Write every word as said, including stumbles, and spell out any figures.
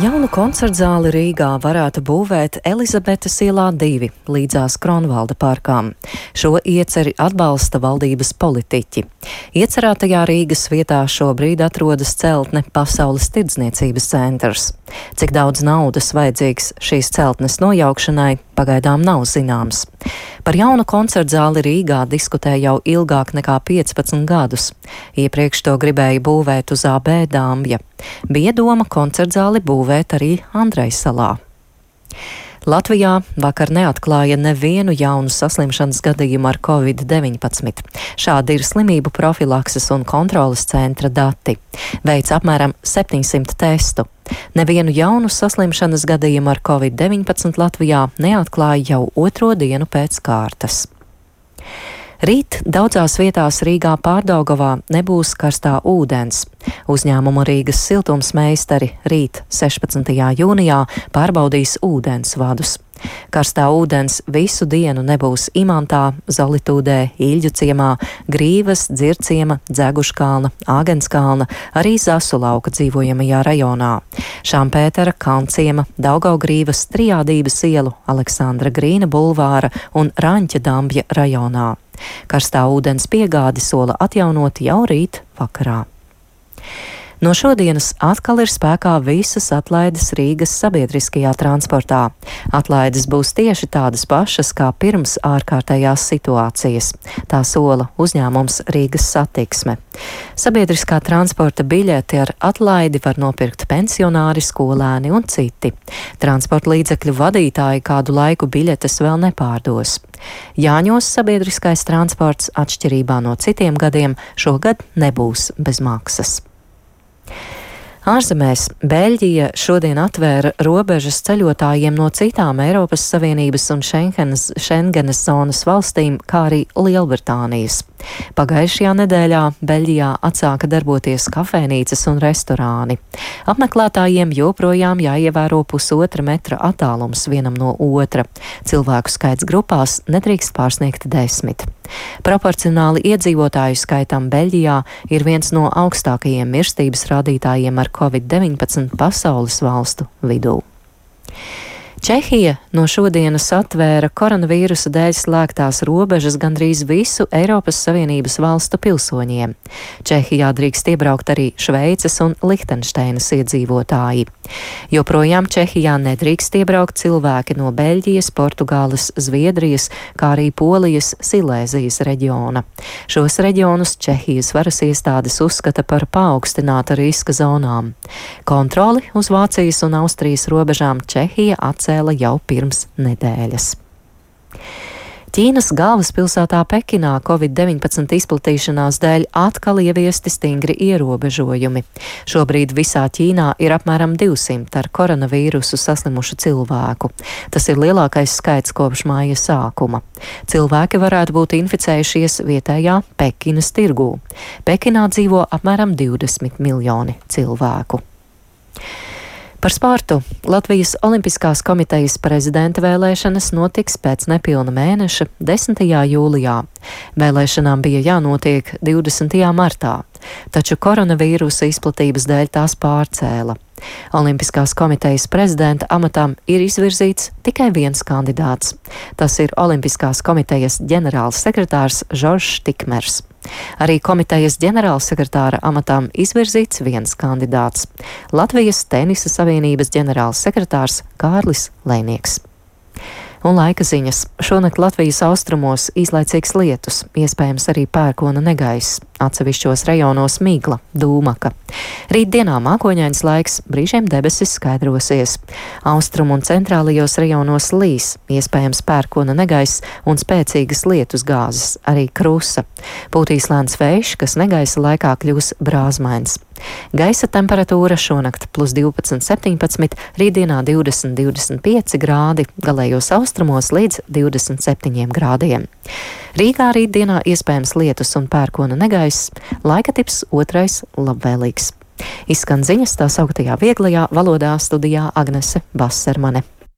Jaunu koncertzāli Rīgā varētu būvēt Elizabetes ielā divi līdzās Kronvalda parkām. Šo ieceri atbalsta valdības politiķi. Iecerētajā Rīgas vietā šobrīd atrodas celtne Pasaules tirdzniecības centrs. Cik daudz naudas vajadzīgs šīs celtnes nojaukšanai, pagaidām nav zināms. Par jaunu koncertzāli Rīgā diskutē jau ilgāk nekā piecpadsmit gadus. Iepriekš to gribēja būvēt uz A B Dambja. Bija doma koncertzāli būvēt arī Andrejsalā. Latvijā vakar neatklāja nevienu jaunu saslimšanas gadījumu ar covid deviņpadsmit. Šādi ir slimību profilakses un kontroles centra dati. Veic apmēram septiņsimt testu. Nevienu jaunu saslimšanas gadījumu ar covid deviņpadsmit Latvijā neatklāja jau otro dienu pēc kārtas. Rīt daudzās vietās Rīgā Pārdaugavā nebūs karstā ūdens. Uzņēmumu Rīgas siltumsmeistari rīt sešpadsmitajā jūnijā pārbaudīs ūdens vadus. Karstā ūdens visu dienu nebūs Imantā, Zolitūdē, Īļģu ciemā, Grīvas, Dzirciema, Dzeguškalna, Āgenskalna, arī Zasulauka dzīvojamajā rajonā, Šampētera, Kalnciema, Daugavgrīvas, Trijādības ielu, Aleksandra Grīna bulvāra un Raņķa Dambja rajonā. Karstā ūdens piegādi sola atjaunot jau rīt vakarā. No šodienas atkal ir spēkā visas atlaides Rīgas sabiedriskajā transportā. Atlaides būs tieši tādas pašas kā pirms ārkārtējās situācijas. Tā sola uzņēmums Rīgas Satiksme. Sabiedriskā transporta biļeti ar atlaidi var nopirkt pensionāri, skolēni un citi. Transporta līdzekļu vadītāji kādu laiku biļetes vēl nepārdos. Jāņos sabiedriskais transports, atšķirībā no citiem gadiem, šogad nebūs bez maksas. Ārzemēs Beļģija šodien atvēra robežas ceļotājiem no citām Eiropas Savienības un Šengenas, Šengenas zonas valstīm, kā arī Lielbritānijas. Pagājušajā nedēļā Beļģijā atsāka darboties kafejnīcas un restorāni. Apmeklētājiem joprojām jāievēro pusotra metra attālums vienam no otra. Cilvēku skaits grupās nedrīkst pārsniegt desmit. Proporcionāli iedzīvotāju skaitam Beļģijā ir viens no augstākajiem mirstības rādītājiem ar covid deviņpadsmit pasaules valstu vidū. Čehija no šodienas atvēra koronavīrusa dēļ slēgtās robežas gandrīz visu Eiropas Savienības valstu pilsoņiem. Čehijā drīkst iebraukt arī Šveices un Lihtenšteinas iedzīvotāji. Joprojām Čehijā nedrīkst iebraukt cilvēki no Beļģijas, Portugāles, Zviedrijas, kā arī Polijas, Silēzijas reģiona. Šos reģionus Čehijas varas iestādes uzskata par paaugstināta riska zonām. Kontroli uz Vācijas un Austrijas robežām Čehija atcēla jau pirms nedēļas. Ķīnas galvaspilsētā Pekinā covid deviņpadsmit izplatīšanās dēļ atkal ieviesti stingri ierobežojumi. Šobrīd visā Ķīnā ir apmēram divsimt ar koronavīrusu saslimušu cilvēku. Tas ir lielākais skaits kopš māja sākuma. Cilvēki varētu būt inficējušies vietējā Pekinas tirgū. Pekinā dzīvo apmēram divdesmit miljoni cilvēku. Par sportu. Latvijas Olimpiskās komitejas prezidenta vēlēšanas notiks pēc nepilna mēneša, desmitajā jūlijā. Vēlēšanām bija jānotiek divdesmitajā martā, taču koronavīrusa izplatības dēļ tās pārcēla. Olimpiskās komitejas prezidenta amatam ir izvirzīts tikai viens kandidāts. Tas ir Olimpiskās komitejas ģenerāls sekretārs Žoržs Tikmers. Arī komitejas ģenerālsekretāra amatām izvirzīts viens kandidāts - Latvijas Tenisa Savienības ģenerāls sekretārs Kārlis Lēnieks. Un laika ziņas. Šonakt Latvijas austrumos īslaicīgs lietus, iespējams arī pērkona negaiss, atsevišķos rajonos migla, dūmaka. Rītdienā mākoņains laiks, brīžiem debesis skaidrosies. Austrumu un centrālajos rajonos līs, iespējams pērkona negaiss un spēcīgas lietus gāzes, arī krusa. Pūtīs lēns vējš, kas negaisa laikā kļūs brāzmains. Gaisa temperatūra šonakt plus divpadsmit septiņpadsmit, rītdienā divdesmit divdesmit pieci grādi, galējos austrumos līdz divdesmit septiņiem grādiem. Rīgā rītdienā iespējams lietus un pērkona negaiss, laika tips otrais labvēlīgs. Izskan ziņas tā sauktajā vieglajā valodā, studijā Agnese Bassermane.